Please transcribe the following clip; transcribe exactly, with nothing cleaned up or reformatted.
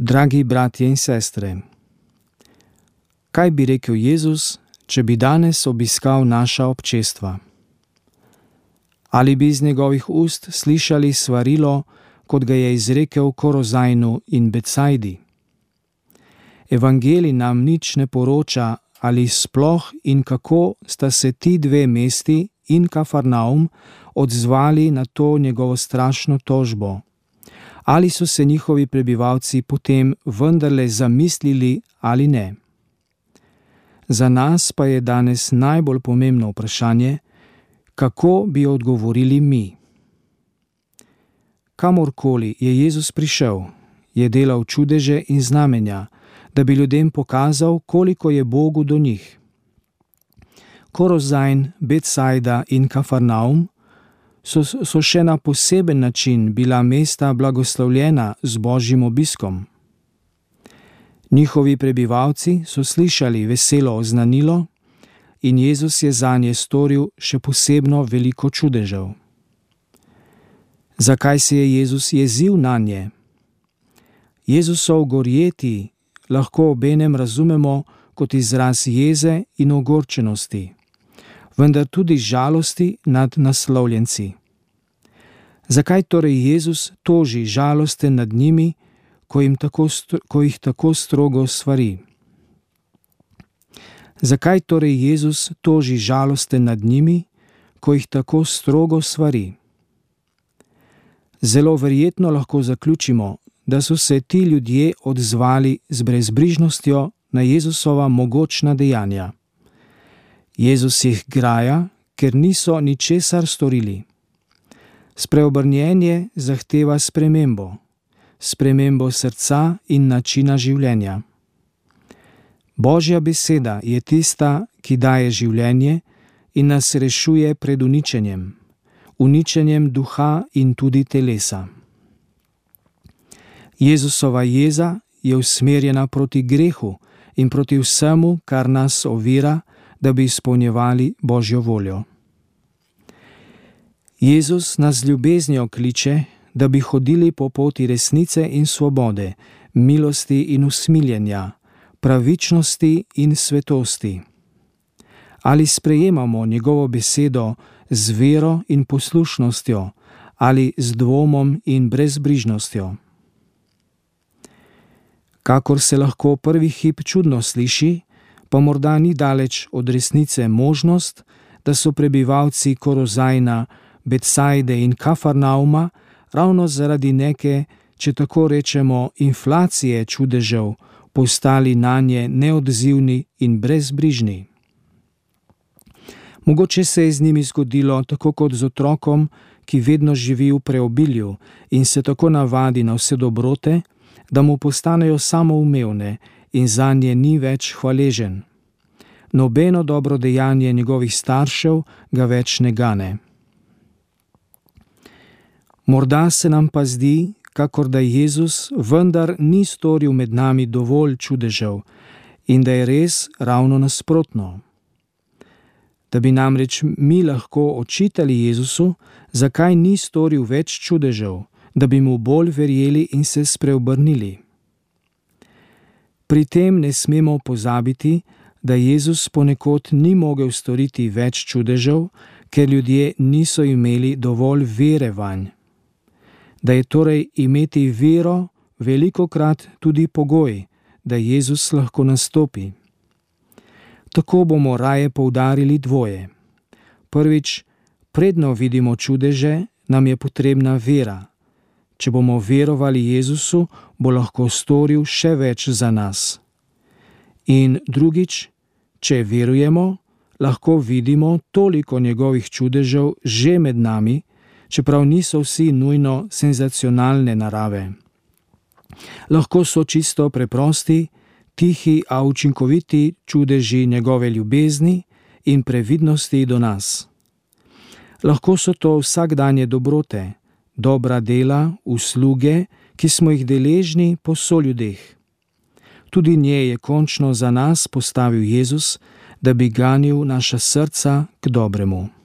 Dragi bratje in sestre, kaj bi rekel Jezus, če bi danes obiskal naša občestva? Ali bi iz njegovih ust slišali svarilo, kot ga je izrekel Korozajnu in Betsajdi? Evangelij nam nič ne poroča, ali sploh in kako sta se ti dve mesti in Kafarnaum odzvali na to njegovo strašno tožbo. Ali so se njihovi prebivalci potem vendarle zamislili ali ne? Za nas pa je danes najbolj pomembno vprašanje, kako bi odgovorili mi. Kamorkoli je Jezus prišel, je delal čudeže in znamenja, da bi ljudem pokazal, koliko je Bogu do njih. Korozajn, Betsajda in Kafarnaum so, so še na poseben način bila mesta blagoslovljena z Božjim obiskom. Njihovi prebivalci so slišali veselo oznanilo in Jezus je zanje storil še posebno veliko čudežev. Zakaj se je Jezus jezil nanje? Jezusov gorjeti lahko obenem razumemo kot izraz jeze in ogorčenosti, vendar tudi žalosti nad naslovljenci. Zakaj torej Jezus toži žalosten nad njimi, ko, jim tako, ko jih tako strogo svari? Zakaj torej Jezus toži žalosten nad njimi, ko jih tako strogo svari? Zelo verjetno lahko zaključimo, da so se ti ljudje odzvali z brezbrižnostjo na Jezusova mogočna dejanja. Jezus jih graja, ker niso ničesar storili. Spreobrnjenje zahteva spremembo, spremembo srca in načina življenja. Božja beseda je tista, ki daje življenje in nas rešuje pred uničenjem, uničenjem duha in tudi telesa. Jezusova jeza je usmerjena proti grehu in proti vsemu, kar nas ovira, da bi izpolnjevali Božjo voljo. Jezus nas z ljubeznijo kliče, da bi hodili po poti resnice in svobode, milosti in usmiljenja, pravičnosti in svetosti. Ali sprejemamo njegovo besedo z vero in poslušnostjo ali z dvomom in brezbrižnostjo? Kakor se lahko prvi hip čudno sliši, pa morda ni daleč od resnice možnost, da so prebivalci Korozajna, Betsajde in Kafarnauma ravno zaradi neke, če tako rečemo, inflacije čudežev postali nanje neodzivni in brezbrižni. Mogoče se je z njimi zgodilo tako kot z otrokom, ki vedno živi v preobilju in se tako navadi na vse dobrote, da mu postanejo samoumevne in zanje ni več hvaležen. Nobeno dobro dejanje njegovih staršev ga več ne gane. Morda se nam pa zdi, kakor da Jezus vendar ni storil med nami dovolj čudežev in da je res ravno nasprotno. Da bi namreč mi lahko očitali Jezusu, zakaj ni storil več čudežev, da bi mu bolj verjeli in se spreobrnili. Pri tem ne smemo pozabiti, da Jezus ponekod ni mogel storiti več čudežev, ker ljudje niso imeli dovolj vere vanj. Da je torej imeti vero velikokrat tudi pogoj, da Jezus lahko nastopi. Tako bomo raje poudarili dvoje. Prvič, predno vidimo čudeže, nam je potrebna vera. Če bomo verovali Jezusu, bo lahko storil še več za nas. In drugič, če verujemo, lahko vidimo toliko njegovih čudežev že med nami, čeprav niso vsi nujno senzacionalne narave. Lahko so čisto preprosti, tihi, a učinkoviti čudeži njegove ljubezni in previdnosti do nas. Lahko so to vsakdanje dobrote, dobra dela, usluge, ki smo jih deležni po soljudeh. Tudi nje je končno za nas postavil Jezus, da bi ganil naša srca k dobremu.